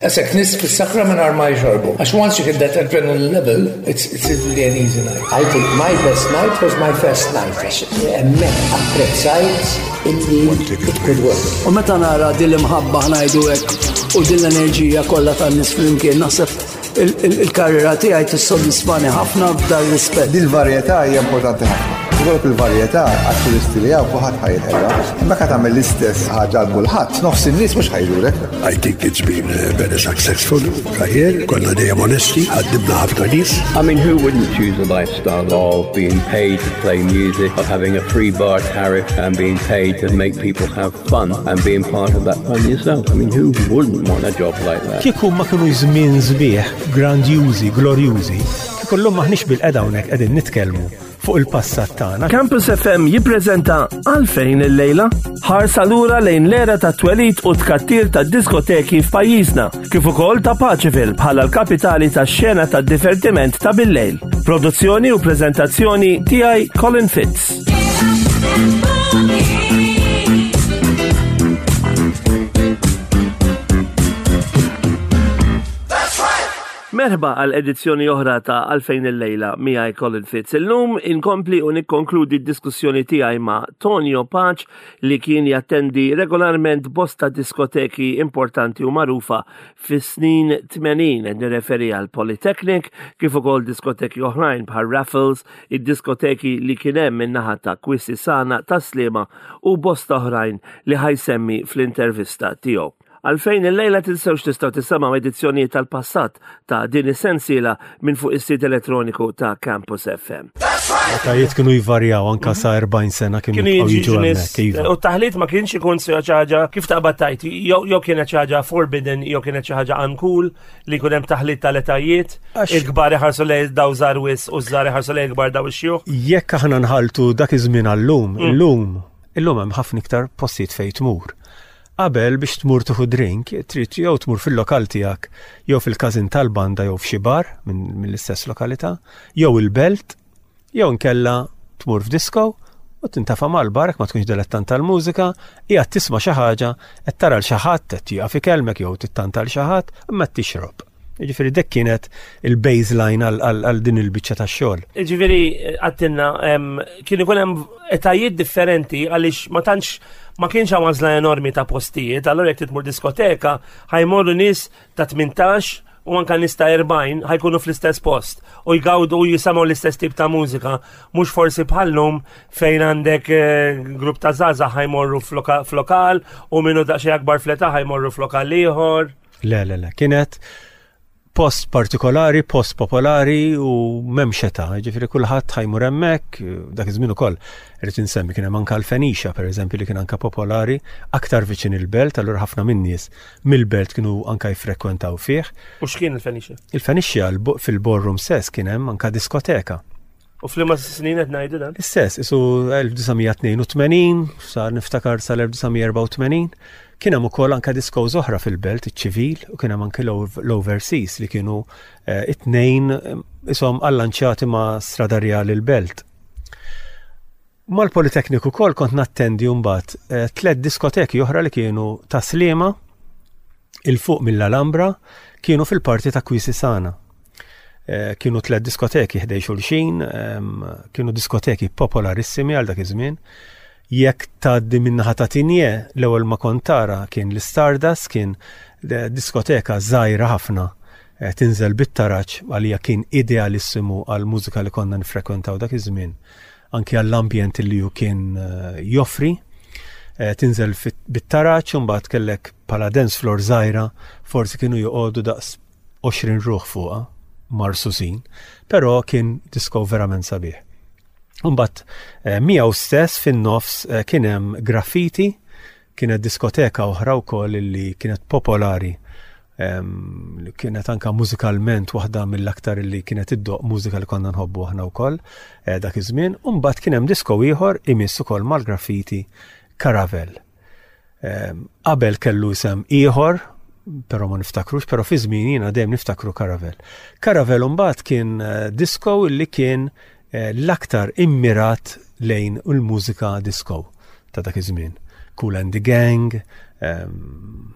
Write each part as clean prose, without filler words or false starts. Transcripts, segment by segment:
Għasek nis fis-sakra minn ma jxorbu. Għax once you hit that adrenaline level, it's, it's really an easy night. I think my best night was my first night. Għax hemmhekk apprezzajt illi it could work. U meta nara din l-imħabba ngħidu hekk u din l-enerġija kollha tan-nies flimkien naħseb il-karriera tiegħi tissodisfani ħafna f'dan rispett. Dil-varjetà hija importanti ħafna. Ikollok il-varjetà għat-turisti li hawn kulħadd ħa jinqeda. Imma ka tagħmel l-istess ħaġa għal kulħadd, nofs in-nies mhux ħa jżurek. I think it's been a very successful career. Konna dejjem onesti, ħaddimna ħafna nies. I mean, who wouldn't choose a lifestyle of being paid to play music, of having a free bar tariff and being paid to make people have fun and being part of that fun yourself? I mean, who wouldn't want a job like that? Kieku ma kienu żmien sbieħ, grandjużi, glorjużi, kieku llum maħniex bil-qeda hawnhekk qegħdin nitkellmu fuq il-passat tagħna. Campus FM jippreżenta Għalfejn illejla ħarsa lura lejn l-era ta' twelid u tkattir ta' diskoteki f'pajjiżna, kif ukoll ta' Paċeville bħala l-kapitali tax-xena tad-divertiment ta' billejl. Produzzjoni u preżentazzjoni tiegħi Colin Fitz. Merħba għal edizzjoni oħra ta' Għalfejn illejla miegħi Colin Fitz. Illum inkompli u nikkonkludi d-diskussjoni tiegħi ma' Tonio Pace li kien jattendi regolarment bosta diskoteki importanti u magħrufa fis-snin 80 qed nirreferi għal Polytechnic kif ukoll diskoteki oħrajn bħal Raffles, id-diskoteki li kien hemm min-naħa ta' Quisisana ta' Sliema u bosta oħrajn li ħa jsemmi fl-intervista tiegħu. Għalfejn illejla tinsewx tistgħu tisimgħu edizzjonijiet tal-passat ta' din is-sensiela minn fuq is-sit elettroniku ta' Campus FM. L-etajiet kienu jvarjaw anka sa 40 sena kienu Kienu jibqgħu jiġu jiġu nies hemmhekk. Iva. u t-taħlit ma kienx ikun xi ħaġa kif taqbad tajt, jew jew kienet xi ħaġa forbidden, jew kienet xi ħaġa uncool li jkun hemm taħlit tal-etajiet, il-kbar iħarsu lejn daw żgħar wis u ż-żgħar iħarsu lejn il-kbar daw ix-xjuħ. Jekk aħna nħaltu dak iż-żmien għallum, illum, illum hemm ħafna iktar postijiet fejn tmur. Qabel biex tmur tieħu drink, trid jew tmur fil-lokal tiegħek, jew fil-każin tal-banda jew f'xi bar mill-istess lokalità, jew il-belt, jew inkella tmur f'disco u tintafa' mal-bar jekk ma tkunx dilettant tal-mużika, qiegħed tisma' xi ħaġa, qed tara 'l xi ħadd qed jieqaf ikellmek jew tittanta 'l xi ħadd, imma qed tixrob. Jiġifieri dik kienet il-baseline għal din il-biċċa tax-xogħol. Jiġifieri għattilna kien ikun hemm etajiet differenti għaliex ma tantx ma kienx hawn għażla enormi ta' postijiet, allura jekk tmur diskoteka ħajmorru nies ta' 18 u anka nies ta' 40 ħajkunu fl-istess post u jgawdu u jisimgħu l-istess tip ta' mużika, mhux forsi bħallum fejn għandek eh, grupp ta' żgħażagħ ħajmorru f'lokal u minnu daqsxejn akbar fl-età ħajmorru f'lokal ieħor. Le, le, le, kienet post partikolari, post popolari u m'hemmx età, ġifieri kulħadd ħajmur hemmhekk, dak iż-żmien ukoll irid insemmi kien hemm anke l-Fenicia pereżempju li kien anke popolari aktar viċin il-belt, allura ħafna min-nies mill-belt kienu anke jiffrekwentaw fih. U x'kien il-Fenicia? Il-Fenicia fil-ballroom stess kien hemm anke diskoteka. U f'liema snin qed ngħidu dan? Istess, isu 1982, sar niftakar sal-1984, kien hemm ukoll anke discos oħra fil-belt, iċ-ċivil, u kien hemm anke l-overseas li kienu eh, it-tnejn eh, ishom allanċjati ma' Strada Rjali l-belt. Mal-Politekniku ukoll kont nattendi mbagħad eh, tliet diskoteki oħra li kienu ta' Sliema, 'il fuq mill-Alhambra, kienu fil-parti ta' Quisisana. Eh, kienu tliet diskoteki ħdej xulxin, ehm, kienu diskoteki popolarissimi għal dak iż-żmien. Jekk tgħaddi min-naħa ta' Tinje, l-ewwel ma kont tara kien l-Stardust, kien eh, diskoteka żgħira ħafna eh, tinżel bit-taraġ għalija kien idealissimu għal mużika li konna nifrekwentaw dak iż-żmien, anki għall-ambjent li hu kien joffri. Tinżel bit-taraġ u mbagħad kellek bħala dance floor żgħira, forsi kienu joqogħdu daqs 20 ruħ fuqha, marsusin, però kien disco verament sabiħ. Mbagħad eh, miegħu stess fin-nofs eh, kien hemm graffiti, kienet diskoteka oħra wkoll li kienet popolari ehm, li kienet anka mużikalment waħda mill-aktar li kienet iddoq mużika li konna nħobbu aħna wkoll eh, dak iż-żmien. U mbagħad kien hemm disko ieħor imiss ukoll mal-graffiti Caravel. Ehm, qabel kellu isem ieħor, però ma niftakrux, però fi żmien jiena dejjem niftakru Caravel. Caravel mbagħad kien eh, disco li kien eh, l-aktar immirat lejn il-mużika disco ta' dak iż-żmien. Kool and the Gang, ehm,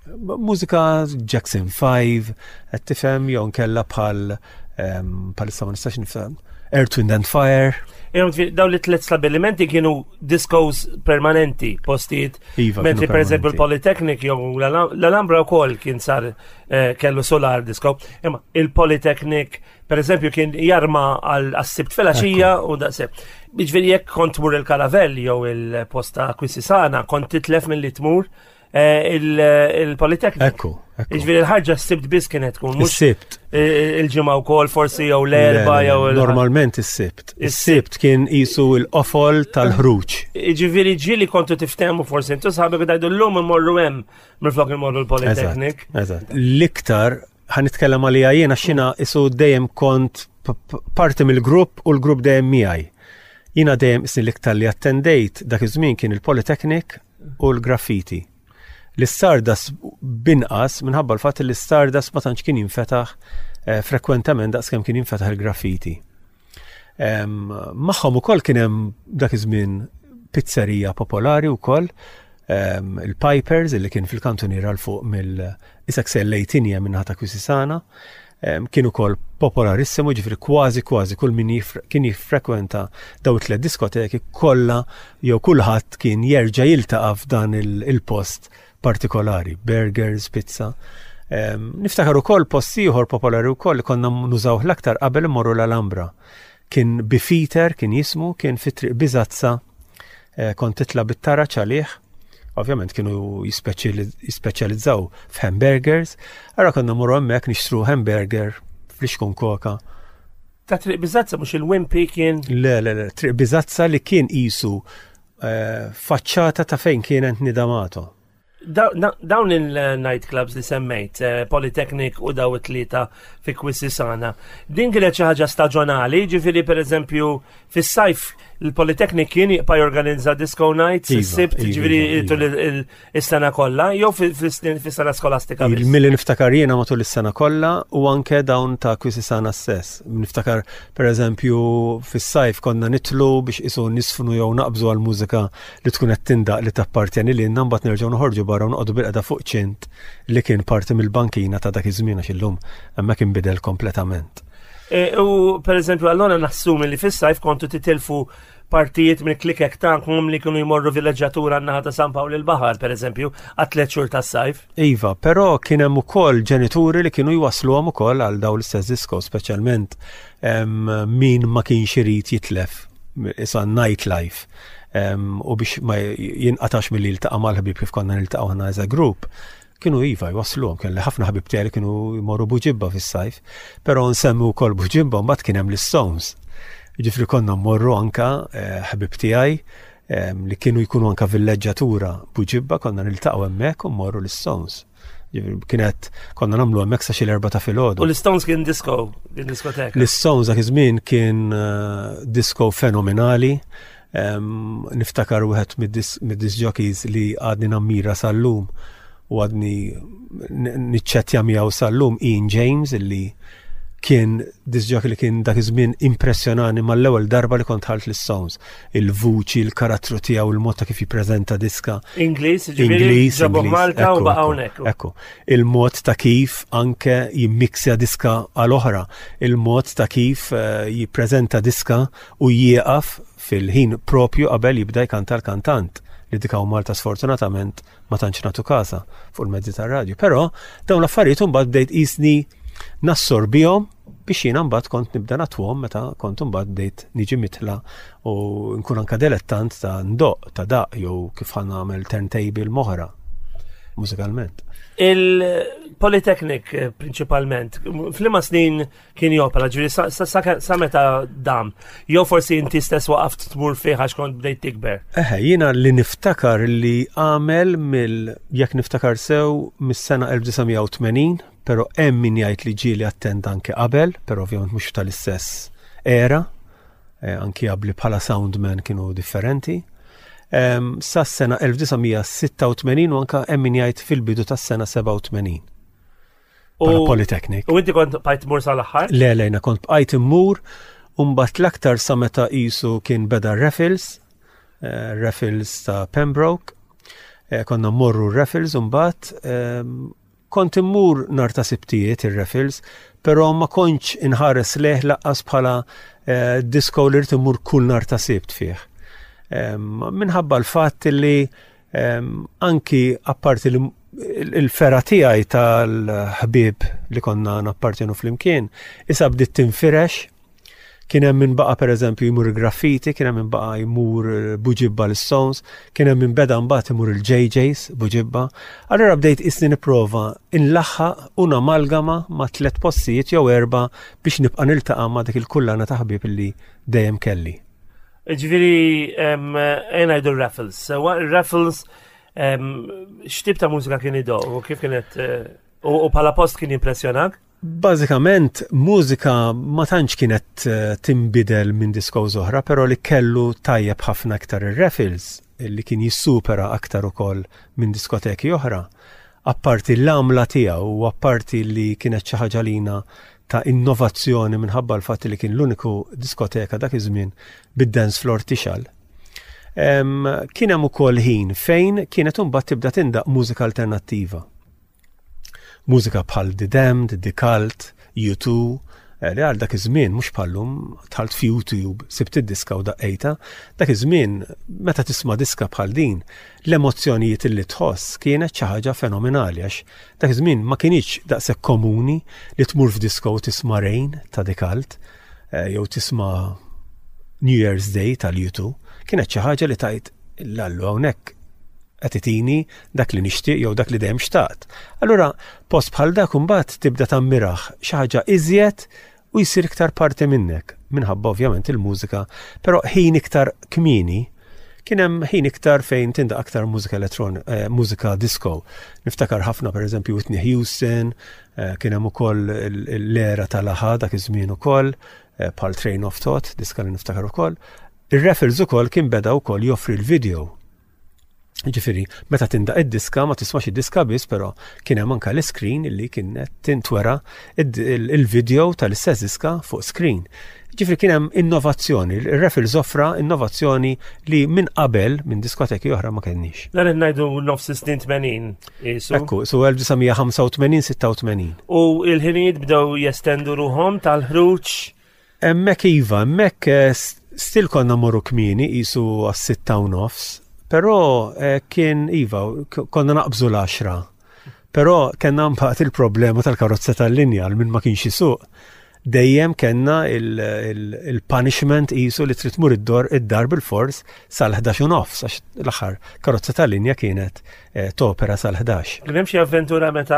Mużika Jackson 5, qed tifhem jew nkella bħal bħalissa ma nistax nifhem Earth, Wind and Fire. Dawn li tlet stabilimenti kienu discos permanenti, postijiet. Iva, Mentri per eżempju il-Polytechnic jew l-Alhambra wkoll kien sar eh, kellu solar disco. Imma il-Polytechnic per eżempju kien jarma għal-sibt filgħaxija u daqshekk. Jiġifieri jekk kont tmur il-Karavell jew il-posta Kwisisana kont titlef milli tmur Eh, il-Polytechnic. Ekku. Iġviri l-ħarġa s-sibt biss kienet tkun. Is-sibt. Il-ġimgħa wkoll forsi jew l-erba jew Normalment is-sibt. Is-sibt kien isu l-qofol tal-ħruġ. Iġviri ġieli kontu tiftehmu forsi intu sħabek dajdu llum imorru hemm minflok imorru l-Polytechnic. Eżatt. L-iktar ħa nitkellem għalija jiena xina isu dejjem kont parti mill-grupp u l-grupp dejjem miegħi. Jiena dejjem isni l-iktar li attendejt dak iż-żmien kien il-Polytechnic u l-graffiti. L-Stardust binqas minħabba l-fatt li l-Stardust ma tantx kien jinfetaħ eh, frekwentament daqskemm kien jinfetaħ il-graffiti. Magħhom ukoll kien hemm dak iż-żmien pizzerija popolari wkoll il-Pipers illi kien fil-kantuniera l fuq mill isek sellejtinja minnaħa ta' Kwisisana kien ukoll popolarissimu ġifri kważi kważi kull min kien jiffrekwenta daw it-tliet diskoteki kollha jew kulħadd kien jerġa' jiltaqa' f'dan il-post partikolari, burgers, pizza. Niftakar ukoll post ieħor popolari wkoll li konna nużawh l-aktar qabel immorru l-Alhambra. Kien Bifeater kien jismu, kien fi triq Biżazza, eh, kont titla' bit-taraġ għalih. Ovvjament kienu jispeċjalizzaw f'hamburgers, ara konna mmorru hemmhekk nixtru hamburger flixkun koka. Ta' triq Biżazza mhux il-Wimpy kien? Le, le, le, triq Biżazza li kien qisu Eh, faċċata ta' fejn kienet Nidamato. Dawn il-nightclubs li semmejt, eh, Polytechnic u daw it-tlieta fi Kwisisana, din kienet xi ħaġa staġjonali, ġifieri pereżempju fis-sajf il-Polytechnic kien jibqa' jorganizza disco nights, iva, is-sibt, iva, ġifieri iva, tul is-sena kollha, jew fis-sena skolastika. Milli niftakar jiena matul is-sena kollha u anke dawn ta' Kwisisana stess. Niftakar pereżempju fis-sajf konna nitlu biex isu nisfnu jew naqbżu għal mużika li tkun qed tindaq li tappartjeni lilna mbagħad nerġgħu noħorġu barra u noqogħdu bilqeda fuq ċint li kien parti mill-bankina ta' dak iż-żmien għax illum hemmhekk inbidel kompletament. E, u pereżempju allora nassumi li fis-sajf kontu titilfu partijiet minn klikek tagħkom li kienu jmorru villeġġatura n-naħa ta' San Pawl il-Baħar, pereżempju, għat xhur tas-sajf. Iva, però kien hemm ukoll ġenituri li kienu jwasluhom ukoll għal dawn l-istess disko, speċjalment min ma kienx irid jitlef isa nightlife u biex ma jinqatax milli jiltaqa' mal-ħbieb kif konna niltaqgħu aħna as a group Kienu iva jwassluhom, kelli ħafna ħbieb tiegħi li kienu jmorru Buġibba fis-sajf, però nsemmi wkoll Buġibba mbagħad kien hemm l-Stones. Jiġifieri konna mmorru anka eh, ħbieb tiegħi eh, li kienu jkunu anka villeġġatura Buġibba konna niltaqgħu hemmhekk u mmorru l-Stones. Kienet konna nagħmlu hemmhekk sa xi l-erba' ta' filgħodu. U l-Stones kien disco, kien diskoteka. L-Stones dak iż-żmien kien eh, disco fenomenali. Niftakar wieħed mid-disc jockeys li għadni nammira sal-lum u għadni niċċettja miegħu sal-lum Ian James illi kien disc jockey li kien dak iż-żmien impressjonani mal-ewwel darba li kont ħalt l-Stones. Il-vuċi, il-karattru tiegħu, il-mod ta' kif jippreżenta diska. Ingliż, Ingliż, ġabuh Malta u baqa' hawnhekk. Ekku. Il-mod ta' kif anke jimmiksja diska għal oħra, il-mod ta' kif eh, jippreżenta diska u jieqaf fil-ħin propju qabel jibda jkanta l-kantant li dik hawn Malta sfortunatament ma tantx nagħtu każha fuq il-mezzi tar-radju. Però dawn l-affarijiet imbagħad bdejt qisni nassorbihom biex jiena mbagħad kont nibda natwhom meta kont imbagħad bdejt niġi mitla u nkun anka delettant ta' ndoq, ta' daq jew kif ħa nagħmel turntable moħra mużikalment. Il-Polytechnic eh, prinċipalment, f'liema snin kien jopera, ġifieri sa meta dam. Jew forsi inti stess waqaft tmur fih għax kont bdejt tikber. Eħe, jiena li niftakar li għamel mill jekk niftakar sew mis-sena 1980, però hemm min jgħid li ġieli attenda anke qabel, però ovvjament mhux tal-istess era, eh, anki qabli bħala soundman kienu differenti. Sa s-sena 1986 u anka hemm min jgħid fil-bidu tas-sena 87. U Polytechnic. U inti kont bqajt tmur sal-aħħar? Le, le, jiena kont bqajt immur u mbagħad l-aktar sa meta qisu kien beda Raffles, eh, Raffles ta' Pembroke. Eh, konna mmorru r-raffles imbagħad ehm, kont immur nar ta' sibtijiet ir-raffles, però ma kontx inħares leh laqqas bħala eh, disco li rrid immur kull nar ta' sibt fih. Ehm, minħabba l-fatt li ehm, anki apparti li il-fera tiegħi tal-ħbieb li konna nappartjenu flimkien, issa bdiet tinfirex Kien hemm min baqa' pereżempju jmur il-graffiti, kien hemm min baqa' jmur eh, Buġibba l-Stones, kien hemm min beda mbagħad imur il-JJs Buġibba. Allura bdejt isni nipprova inlaħħaq u namalgama ma' tliet postijiet jew erba' biex nibqa' niltaqa' ma' dik il-kullana ta' ħbieb illi dejjem kelli. Ġifieri ejja ngħidu r-raffles. Sewa ir-raffles x'tip ta' mużika kien idoq u kif kienet eh, u bħala post kien jimpressjonak? Bażikament, mużika ma tantx kienet eh, tinbidel minn discos oħra, però li kellu tajjeb ħafna iktar ir-Raffles, li kien jissupera aktar ukoll minn diskoteki oħra. Apparti l-għamla tiegħu u apparti li kienet xi ħaġa lina ta' innovazzjoni minħabba l-fatt li kien l-uniku diskoteka dak iż-żmien bid-dance floor tixal. Kien hemm ukoll ħin fejn kienet imbagħad tibda tindaq mużika alternattiva. Mużika bħal The Damned, The Cult, U2, eh, li għal dak iż-żmien mhux bħallum dħalt f'YouTube, sibt id-diska u daqqejta, dak iż-żmien meta tisma' diska bħal din, l-emozzjonijiet li tħoss kienet xi ħaġa fenomenali għax dak iż-żmien ma kienx daqshekk komuni li tmur f'diska u tisma' Rain ta' The Cult eh, jew tisma' New Year's Day tal-U2, kienet xi ħaġa li tajt l-allu hawnhekk qed itini dak li nixtieq jew dak li dejjem xtaqt. Allura post bħal dak imbagħad tibda tammirah xi ħaġa iżjed u jsir iktar parti minnek, minħabba ovvjament il-mużika, però ħin iktar kmieni kien hemm ħin iktar fejn tindaq aktar mużika elettron, eh, mużika disco. Niftakar ħafna pereżempju Whitney Houston, eh, kien hemm ukoll l-era tal-aħa dak iż-żmien ukoll, eh, bħal Train of Thought, diska li niftakar ukoll. Ir-Raffles ukoll kien beda wkoll joffri l-video Ġifiri, meta tindaq id-diska, ma tismax id-diska biss, però kien hemm anka l-screen li kienet tintwera il-video tal-istess diska fuq screen. Ġifiri kien hemm innovazzjoni, il-Raffles offra innovazzjoni li minn qabel minn diskoteki oħra ma kenniex. Dan qed ngħidu nofs snin 80 isu. Ekku, su 1985-86. U il-ħinijiet bdew jestendu ruhom tal-ħruġ Hemmhekk iva, hemmhekk eh, still konna morru kmieni qisu għas-sitta u nofs, però eh, kien iva, konna naqbżu l-għaxra. Però kellna mbagħad il-problema tal-karozza tal-linja għal min ma kienx isuq. Dejjem kellna il-punishment qisu li trid tmur id-dor id-dar bil-fors sal-11 u nofs għax l-aħħar karozza tal-linja kienet Eh, topera sal-11. Kien hemm xi avventura meta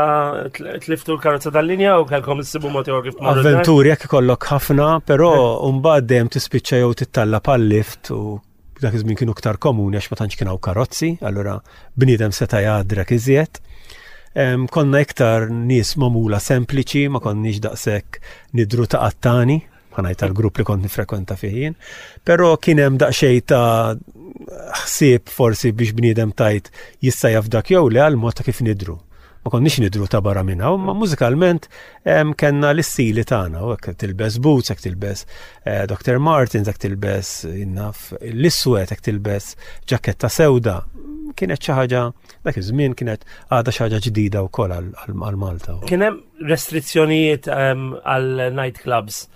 tliftu l-karozza tal-linja u kellkom issibu mod ieħor kif tmorru. Avventuri jekk ikollok ħafna, però eh. mbagħad dejjem tispiċċa jew tittalla pal-lift u dak iż-żmien kienu iktar komuni għax ma tantx kien hawn karozzi, allura bniedem seta' jgħadrek iżjed. Konna iktar nies magħmula sempliċi, ma konniex daqshekk nidru ta' qattani ħanajt tal-grupp li kont nifrekwenta fih jien, però kien hemm daqsxejn ta' ħsieb forsi biex bniedem tajt jista' jaf dak jew le għal mod ta' kif nidru. Ma konniex nidru ta' barra minn hawn, ma mużikalment kellna l-istili tagħna, u hekk tilbes boots, hekk tilbes eh, Dr. Martens, hekk tilbes innaf l-iswed, hekk tilbes ġaketta sewda. Kienet xi ħaġa dak iż-żmien kienet għadha xi ħaġa ġdida wkoll għal Malta. Kien hemm restrizzjonijiet ehm, għal night clubs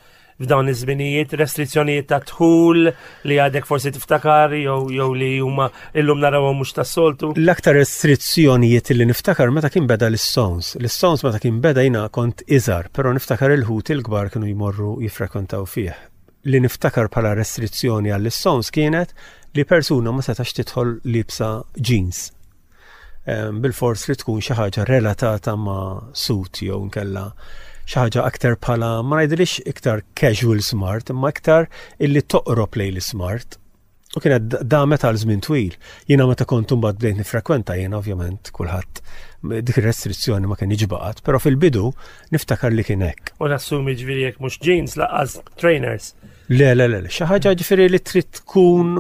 f'dawn iż-żminijiet, restrizzjonijiet ta' dħul li għadek forsi tiftakar jew jew li huma illum narawhom mhux tas-soltu. L-aktar restrizzjonijiet li niftakar meta kien beda l-Stones. L-Stones meta kien beda jiena kont iżgħar, però niftakar il-ħut il-kbar kienu jmorru jiffrekwentaw fih. Li niftakar bħala restrizzjoni għall-Stones kienet li persuna ma setax tidħol liebsa jeans. Bilfors li tkun xi ħaġa relatata ma' suit jew nkella xi ħaġa aktar bħala ma ngħidilix iktar casual smart, imma iktar illi toqrob lejn l-smart. U kienet damet għal żmien twil. Jiena meta kont imbagħad bdejt nifrekwenta jiena ovvjament kulħadd dik ir-restrizzjoni ma kienx baqgħet, però fil-bidu niftakar li kien hekk. U nassumi ġifieri jekk mhux jeans laqqas trainers. Le, le, le, xi ħaġa ġifieri li trid tkun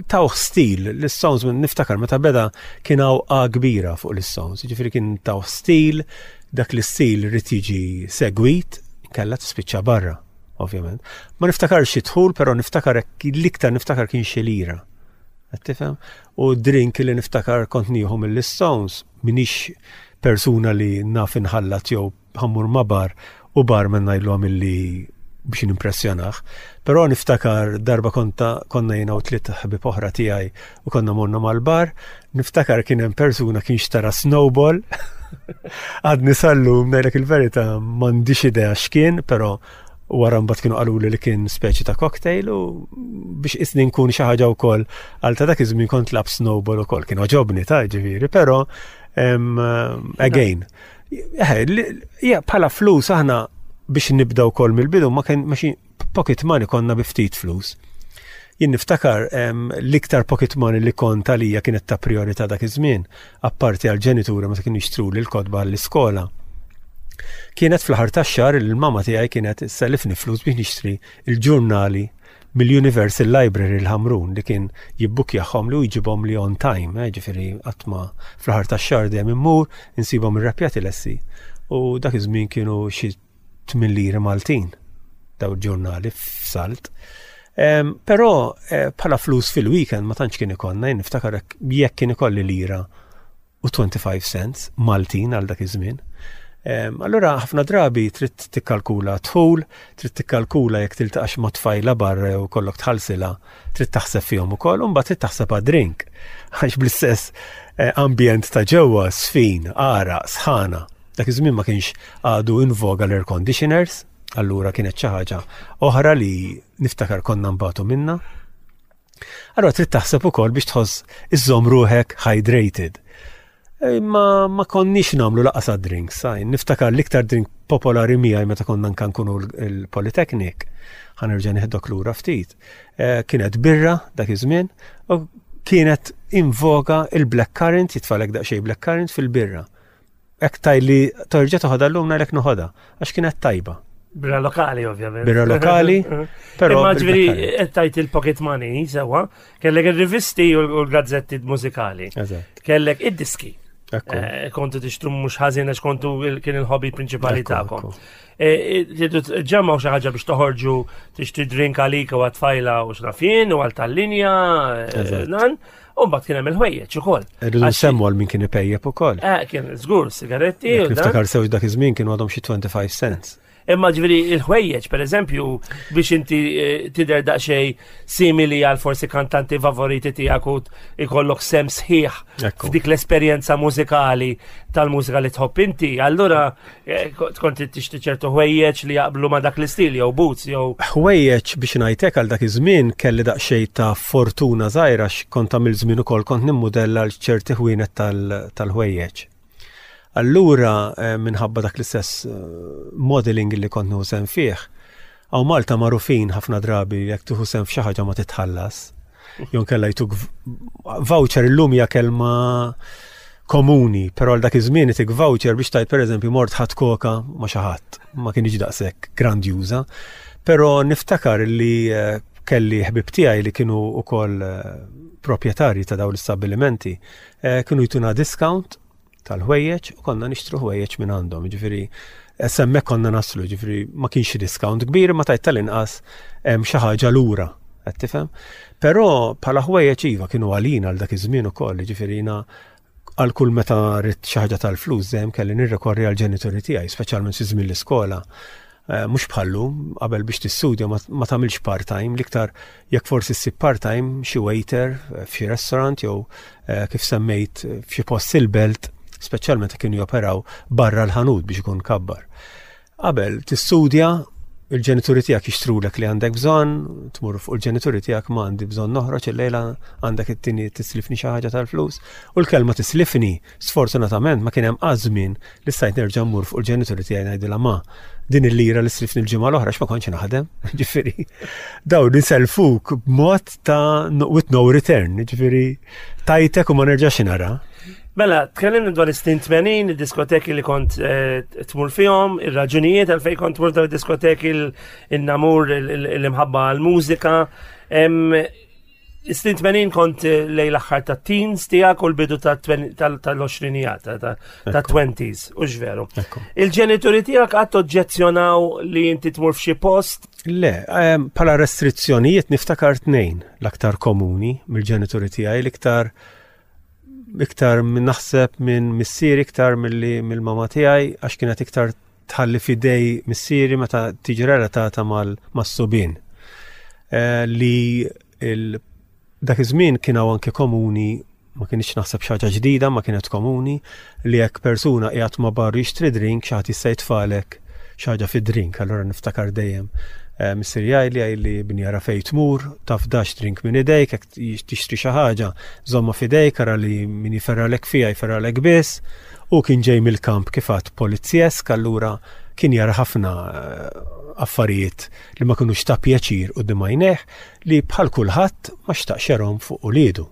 tawh stil l-Stones niftakar meta beda kien hawn A kbira fuq l-Stones, ġifieri kien tawh stil, dak l-istil irid jiġi segwit, kella tispiċċa barra, ovvjament. Ma niftakarx xi dħul, però niftakar l-iktar niftakar kien xi lira. Qed tifhem? U drink li niftakar kont nieħu mill-Stones, minix persuna li naf inħallat jew ħammur ma' bar u barman ngħidlu għamilli biex nimpressjonah. Però niftakar darba konta konna jiena u tliet ħbieb oħra tiegħi u konna morna mal-bar, niftakar kien hemm persuna kien xtara snowball. Għadni sallum ngħidlek il-verità m'għandix idea x'kien, però wara mbagħad kienu qaluli li kien speċi ta' cocktail u biex isni nkun xi ħaġa wkoll għal ta' dak iż-żmien kont lab snowball ukoll kien oġobni ta' ġifieri, però again Eh, bħala flus aħna biex nibda wkoll mill-bidu ma kien maċi pocket money konna bi ftit flus. Jien niftakar l-iktar pocket money li kont għalija kienet ta' priorità dak iż-żmien, apparti għal ġenituri meta kienu jixtru li l-kotba għall-iskola. Kienet fl-aħħar tax-xahar li l-mama tiegħi kienet sellifni flus biex nixtri il-ġurnali mill-Universal Library l-Ħamrun li kien jibbukjahom li u jġibhom li on time, eh, ġifieri qatt ma fl-aħħar tax-xahar dejjem immur insibhom irrapjati lesti. U dak iż-żmien kienu xi 8 liri Maltin daw il-ġurnali f'salt. Però eh, bħala flus fil-weekend ma tantx kien ikollna, jien niftakar jekk kien ikolli lira u 25 cents Maltin għal dak iż-żmien. Allura ħafna drabi trid tikkalkula dħul, trid tikkalkula jekk tiltaqax ma' tfajla barra jew kollok tħallsilha, trid taħseb fihom ukoll, u mbagħad trid taħseb għad-drink. Għax bl-istess eh, ambjent ta' ġewwa, sfin, għaraq, sħana. Dak iż-żmien ma kienx għadu in voga l-air conditioners, allura kienet xi ħaġa oħra li niftakar konna nbatu minna. Allora trid taħseb ukoll biex tħoss iżżomm ruħek hydrated. Imma ma konniex nagħmlu laqas drinks, sajn. Niftakar l-iktar drink popolari miegħi meta konna nkan nkunu l-Polytechnic, ħanerġa' nieħdok lura ftit. Eh, kienet birra dak iż-żmien u kienet invoga il-black currant, jitfalek daqsxejn black currant fil-birra. Hekk tgħidli torġa' toħodha llum ngħidlek noħodha għax kienet tajba. Birra lokali, ovvjament. Birra lokali, però. Imma ġifieri qed tajt il-pocket money sewwa, kellek ir-rivisti u l-gazzetti mużikali. Kellek id-diski. Eh, kontu tixtru mhux ħażin għax kontu kien il-hobby prinċipali tagħkom. Eh, eh, ġemmaw xi ħaġa biex toħorġu tixtri drink għalik u għat-tfajla u x'nafien u għal tal-linja nan. U mbagħad kien hemm il-ħwejjeġ ukoll. Irridu nsemmu għal min kien ipejjep ukoll. Eh, kien żgur sigaretti. Niftakar sew dak iż-żmien kienu għadhom xi 25 cents. Imma ġifieri il-ħwejjeġ, per eżempju, biex inti eh, tidher daqsxejn simili għal forsi kantanti favoriti tiegħek u ikollok sem sħiħ f'dik l-esperjenza mużikali tal-mużika li tħobb inti, allura Eh, tkun trid tixtri ċertu ħwejjeġ li jaqblu ma' dak l-istil jew boots jew. Ħwejjeġ biex ngħidlek għal dak iż-żmien kelli daqsxejn ta' fortuna żgħira kont għamil żmien ukoll kont nimmudella għal ċerti ħwienet tal-ħwejjeġ. Allura eh, minħabba dak l-istess eh, modeling li kont nieħu sehem fih, hawn Malta magħrufin ħafna drabi jekk tieħu sehem f'xi ħaġa ma titħallas. Jew kella jtuk voucher illum hija kelma komuni, però għal dak iż-żmien itik voucher biex tajt pereżempju mort ħadd koka ma' xi ħadd, ma kienx daqshekk grandjuża. Però niftakar li eh, kelli ħbib tiegħi li kienu wkoll eh, proprjetarji ta' dawn l-istabbilimenti, eh, kienu jtuna discount tal-ħwejjeġ u konna nixtru ħwejjeġ minn għandhom. Ġifieri semmek konna naslu, ġifieri ma kienx discount kbir ma tajt tal-inqas hemm xi ħaġa lura. Qed tifhem? Però bħala ħwejjeġ iva kienu għalina għal dak iż-żmien ukoll, ġifieri jiena għal kull meta rrid xi ħaġa tal-flus dejjem kelli nirrikorri għal ġenituri tiegħi, speċjalment fi żmien l-iskola. Eh, mhux bħallu, qabel biex tistudja ma tagħmilx part-time, l-iktar jekk forsi ssib part-time xi waiter eh, f'xi restaurant jew eh, kif semmejt f'xi post il-belt, speċjalment kienu joperaw barra l-ħanut biex ikun kabbar. Qabel tistudja il-ġenituri tiegħek jixtrulek li għandek bżonn, tmur fuq il-ġenituri tiegħek ma għandi bżonn noħroġ illejla għandek it-tieni tislifni xi ħaġa tal-flus. U l-kelma tislifni Sfortunatament ma kien hemm qatt żmien li stajt nerġa' mmur fuq il-ġenituri tiegħi ngħidilha ma din il-lira li slifni l-ġimgħa l-oħra x'ma kontx naħdem. Ġifieri dawn iselfuk b'mod ta' with no return, ġifieri tajtek u ma nerġax nara. Mela, tkellimna dwar is-snin 80, id-diskoteki li kont eh, tmur fihom, ir-raġunijiet għalfejn kont tmur dawn id-diskoteki il-namur, l-imħabba għal-mużika. Is-snin 80 kont eh, lej l-aħħar ta' teens tiegħek u l-bidu tal-20 ta' 20s, u veru. Il-ġenituri tiegħek qatt oġġezzjonaw li inti tmur f'xi post? Le, bħala restrizzjonijiet niftakar tnejn l-aktar komuni mill-ġenituri tiegħi l-iktar iktar minn naħseb minn missieri iktar milli mill-mama tiegħi għax kienet iktar tħalli fidej missieri meta tiġi relatata mal-subien. Eh, li dak iż-żmien kien hawn anke komuni ma kienx naħseb xi ħaġa ġdida, ma kienet komuni li jekk persuna qiegħed ma' bar jixtri drink xi ħadd jista' jitfalek xi ħaġa fid-drink, allura niftakar dejjem eh, missier jgħidli jgħidli bni ara fejn tmur, tafdax drink minn idejk, jekk tixtri xi ħaġa, żomma f'idejk ara li min jiferralek fiha jiferralek biss. U kien ġej mill-kamp kif għad polizjesk, allura kien jara ħafna eh, affarijiet li ma kinux ta' pjaċir quddiem għajnejh li bħal kulħadd ma xtaqx jarhom fuq uliedu.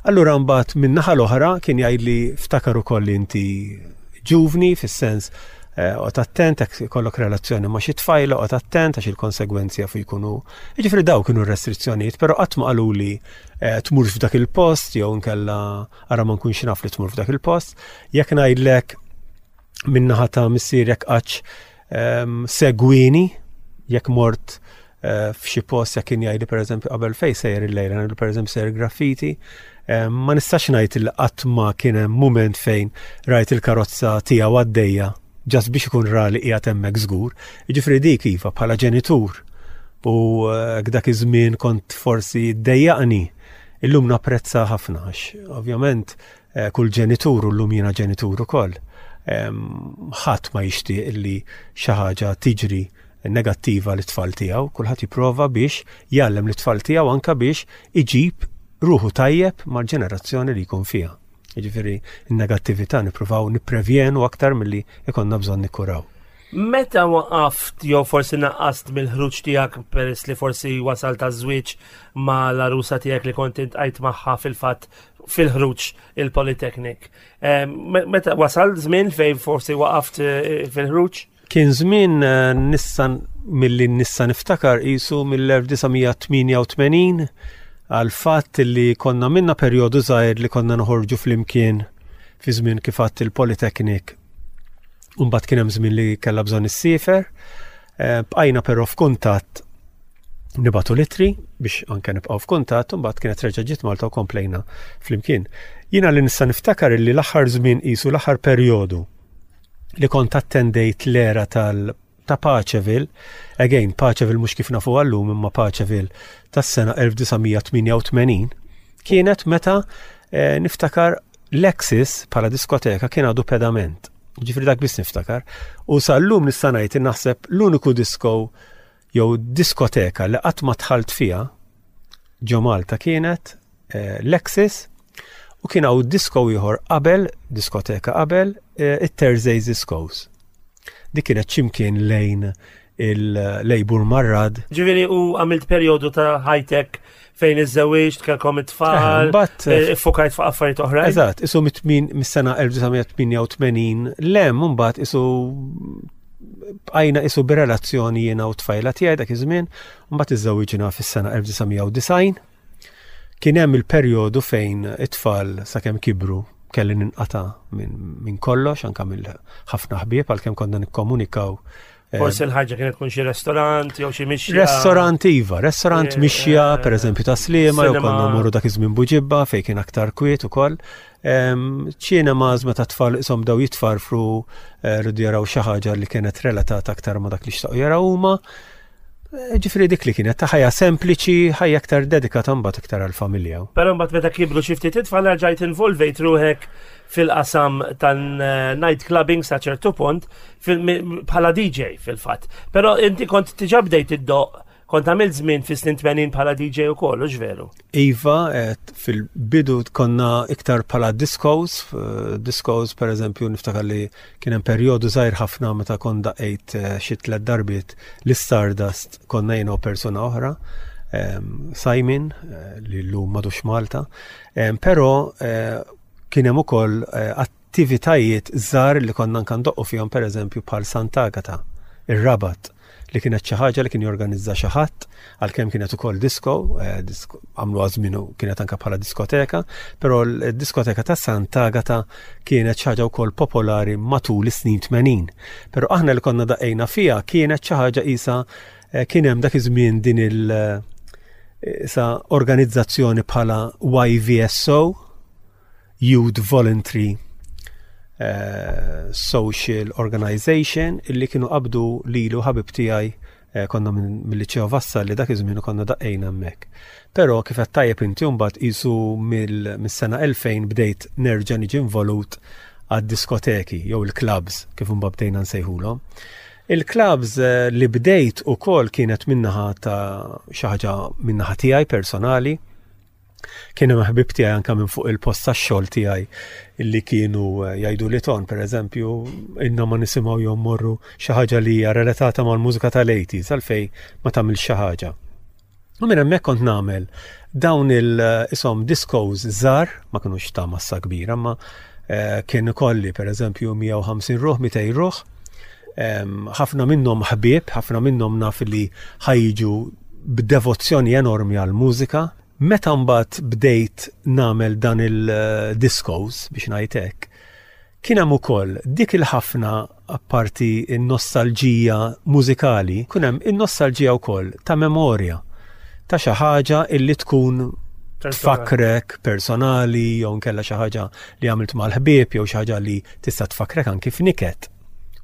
Allura mbagħad min-naħa l-oħra kien jgħidli ftakar ukoll li inti ġuvni fis-sens eh, oqgħod attent jekk ikollok relazzjoni ma' xi tfajla oqgħod attent għax il-konsegwenzi jafu jkunu. Jiġifieri daw kienu r-restrizzjonijiet, però qatt ma qaluli eh, tmurx f'dak il-post jew inkella ara ma nkunx naf li tmur f'dak il-post. Jekk ngħidlek min-naħa ta' missier jekk qattx ehm, segwini jekk mort eh, f'xi post jekk kien jgħidli pereżempju qabel fej sejjer il-lejla, ngħidlu pereżempju sejjer graffiti, ehm, ma nistax ngħid li qatt ma kien hemm mument fejn rajt il-karozza tiegħu għaddejja ġast biex ikun ra li qiegħed hemmhekk żgur. Jiġifieri dik iva bħala ġenitur u eh, dak iż-żmien kont forsi ddejjaqni illum napprezza ħafna għax ovvjament Eh, kull ġenitur u llum jiena ġenitur ukoll. Ħadd ma jixtieq li xi ħaġa tiġri negattiva lit tfal tiegħu, kulħadd jipprova biex jgħallem lit tfal tiegħu anka biex iġib ruħu tajjeb mal-ġenerazzjoni li jkun fiha. Jiġifieri n-negattività nippruvaw nipprevjenu aktar milli ikonna bżonn nikkuraw. Meta waqaft jew forsi naqqast mill-ħruġ tiegħek peress li forsi wasal ta' żwieġ ma' l-arusa tiegħek li kont intqajt magħha fil-fatt fil-ħruġ il-Polytechnic. Meta wasal żmien fejn forsi waqaft eh, fil-ħruġ? Kien żmien eh, nissa milli nissa niftakar qisu mill-1988 għal fatt li konna minna perjodu żgħir li konna noħorġu flimkien fi żmien kif għadt il-Polytechnic. Umbagħad kien hemm żmien li kellha bżonn issiefer. Eh, bqajna però f'kuntatt nibatu litri biex anke nibqgħu f'kuntatt u mbagħad kienet reġa' ġiet Malta u komplejna flimkien. Jiena li nista' niftakar li l-aħħar żmien qisu l-aħħar perjodu li kont attendejt l-era tal ta' Paceville, again Paceville mhux kif nafu għallum imma Paceville tas-sena 1988, kienet meta eh, niftakar Lexis bħala diskoteka kien għadu pedament. Ġifri dak biss niftakar. U sal-lum nista' ngħid naħseb l-uniku disco jew diskoteka li qatt ma dħalt fiha ġo Malta kienet eh, Lexis u kien hawn disko ieħor qabel, diskoteka qabel, eh, it-Thursdays Discos. Dik kienet x'imkien lejn il-Lejbur Marrad. Ġifieri u għamilt perjodu ta' high-tech fejn iż-żewġ, kellkom it-tfal, eh, fokajt fuq affarijiet oħra. Eżatt, isu mis-sena 1988 lem mbagħad isu bqajna isu b'relazzjoni jiena u tfajla tiegħi dak iż-żmien, mbagħad iżżewwiġna fis-sena 1990. Kien hemm il-perjodu fejn it-tfal sakemm kibru kelli ninqata' minn kollox, anka mill ħafna ħbieb għalkemm konna nikkomunikaw. Eh, Forsi l-ħarġa kienet tkun xi restorant jew xi mixja. Restorant iva, restorant eh, mixja, eh, per eżempju ta' Sliema, jew konna mmorru dak iż-żmien Buġibba fejn kien aktar kwiet ukoll. Ċinemas meta tfal isom daw jitfarfru eh, rridu jaraw xi ħaġa li kienet relatata aktar ma dak li xtaqu jaraw huma. Eh, ġifri dik li kienet ta' ħajja sempliċi, ħajja aktar dedikata mbagħad iktar għall-familja. Però mbagħad meta kibru xi ftit it-tfal rġajt involvejt ruħek fil-qasam tan-night clubbing sa ċertu punt bħala DJ fil-fatt. Però inti kont diġà bdejt iddoq Kont għamilt żmien fis-snin 80 bħala DJ ukoll, hux veru? Iva, fil-bidu konna iktar bħala discos, eh, discos per eżempju niftakar li kien hemm perjodu żgħir ħafna meta kont daqejt eh, xi tliet darbiet l-Stardust konna jiena u persuna oħra, ehm, Simon, eh, li llum madux Malta, ehm, però kien hemm ukoll attivitajiet żgħar li konna anke ndoqqu fihom pereżempju bħal Sant'Agata, ir-Rabat, li kienet xi ħaġa li kien jorganizza xi ħadd, għalkemm kienet ukoll disco, eh, għamluha żmien kienet anke bħala diskoteka, però l-diskoteka ta' Sant'Agata kienet xi ħaġa wkoll popolari matul is-snin 80. Però aħna li konna daqqejna fiha kienet xi ħaġa qisha Eh, kien hemm dak iż-żmien din il- eh, sa organizzazzjoni bħala YVSO, Youth Voluntary eh, Social Organization, illi kienu qabdu lilu ħabib tiegħi eh, konna mill-Liċeo Vassa li dak iż-żmien konna daqqejna hemmhekk. Però kif qed tajjeb inti mbagħad qisu mis-sena 2000 bdejt nerġa' niġi involut għad-diskoteki jew il-clubs kif imbagħad bdejna nsejħulhom. Il-clubs eh, li bdejt ukoll kienet minnaħa ta' xi ħaġa minnaħa tiegħi personali. Kien hemm ħbib tiegħi anke minn fuq il-post tax-xogħol tiegħi li kienu eh, jgħidu li ton, pereżempju, inna ma nisimgħu jew morru xi ħaġa li hija relatata mal-mużika tal-80s għalfej ma tagħmilx xi ħaġa. U minn hemmhekk kont nagħmel dawn il-isom discos żgħar, ma kinux ta' massa kbira, ma eh, kien ikolli pereżempju 150 ruħ, 200 ruħ, ħafna minnhom ħbieb, ħafna minnhom naf li ħajġu b'devozzjoni enormi għall-mużika. Meta mbagħad bdejt nagħmel dan il-discos biex ngħid hekk, kien hemm ukoll dik il-ħafna apparti n-nostalġija mużikali, kien hemm in-nostalġija wkoll ta' memorja ta' xi ħaġa illi tkun tfakkrek personali jew nkella xi ħaġa li għamilt mal-ħbieb jew xi ħaġa li tista' tfakkrek anki f'niket,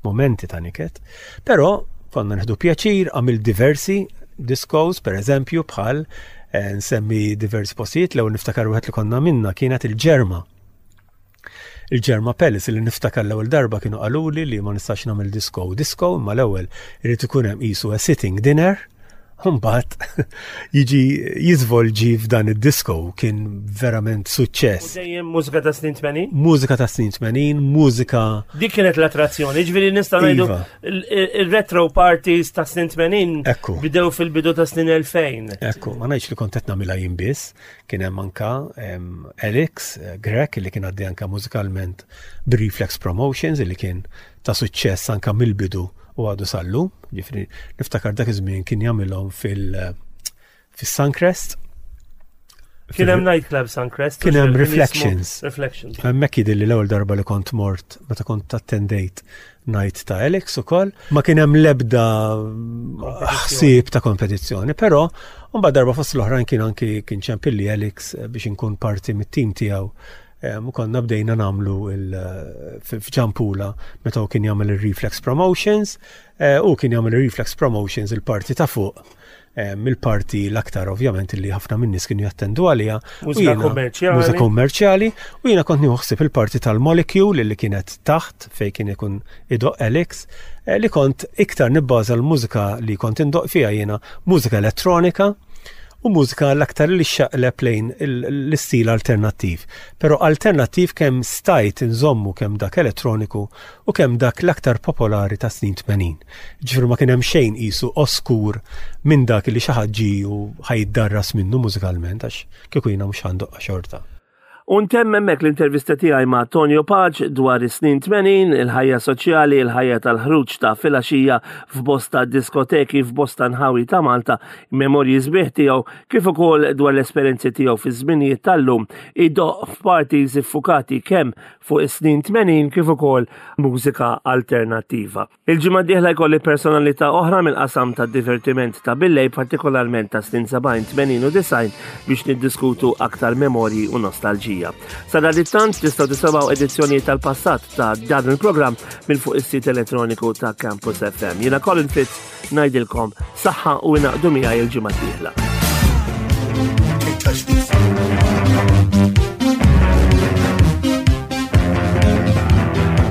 momenti ta' niket. Però konna nħdu pjaċir, għamilt diversi discos, per eżempju, bħal eh, nsemmi diversi postijiet, l-ewwel niftakar wieħed li konna minna kienet il-Ġerma. Il-Ġerma Palace li niftakar l-ewwel darba kienu qaluli li ma nistax nagħmel disco disco, imma l-ewwel irid ikun hemm qisu a sitting dinner, mbagħad jiġi jiżvolġi f'dan id-disco kien verament suċċess. U dejjem mużika ta' snin 80? Mużika ta' snin 80, mużika. Dik kienet l-attrazzjoni, ġifieri nista' ngħidu iva. il-retro parties ta' snin 80 Ekku. bidew fil-bidu ta' snin 2000. Ekku, ma ngħidx li kont qed nagħmilha jien biss, Kien hemm anka Alex eh, Grech li kien għaddi anka mużikalment b'Reflex Promotions li kien ta' suċċess anka mill-bidu u għadu sallu. Ġifri, niftakar dak iż-żmien kien jagħmilhom fil- eh, fis-Suncrest. Kien hemm nightclub Suncrest. Kien hemm Reflections. Reflections. Hemmhekk jidhirli l-ewwel darba li kont mort meta kont attendejt night ta' Alex ukoll. Ma kien hemm l-ebda ħsieb ta' kompetizzjoni, però mbagħad darba fost l-oħrajn kien anki kien ċempilli Alex eh, biex inkun parti mit-tim tiegħu. Eh, u konna bdejna namlu eh, f'Ġampula meta u kien jagħmel il-Reflex Promotions u kien jagħmel il-Reflex Promotions il-parti ta' fuq mill-parti l-aktar ovvjament li ħafna minn nies kienu jattendu għaliha. Mużika kummerċjali. Mużika kummerċjali u jiena kont nieħu ħsieb il-parti tal-molecule li kienet taħt fej kien ikun idoq Alex eh, li kont iktar nibbaża l-mużika li kont indoq fiha jiena mużika elettronika u mużika l-aktar li xaqleb lejn l-istil alternattiv. Però alternattiv kemm stajt inżommu kemm dak elettroniku u kemm dak l-aktar popolari ta' snin 80. Ġifieri ma kien hemm xejn qisu oskur minn dak li xi ħadd ġie u ħa jiddarras minnu mużikalment għax kieku jiena mhux ħa ndoqqha xorta. U ntemm hemmhekk l-intervista tiegħi ma' Tonio Pace dwar is-snin 80, il-ħajja soċjali, il-ħajja tal-ħruġ ta' filgħaxija f'bosta diskoteki f'bosta nħawi ta' Malta, memorji sbieħ tiegħu kif ukoll dwar l-esperjenzi tiegħu fiż-żminijiet tal-lum idoqq f'parties iffukati kemm fuq is-snin 80 kif ukoll mużika alternattiva. Il-ġimgħa d-dieħla jkolli personalità oħra mill-qasam tad-divertiment ta' billej partikolarment ta' snin 70, 80 u 90 biex niddiskutu aktar memorji u nostalġija. Sadanittant tistgħu tisimgħu edizzjonijiet tal-passat ta' dan il-programm minn fuq is-sit elettroniku ta' Campus FM. Jiena Colin Fitz Ngħidilkom saħħa u ingħaqdu miegħi il-ġimgħa d-dieħla.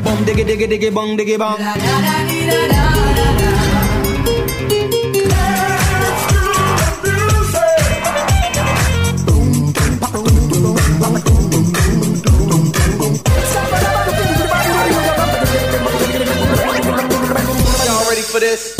Bong diggy diggy diggy bong diggy bong. Y'all ready for this?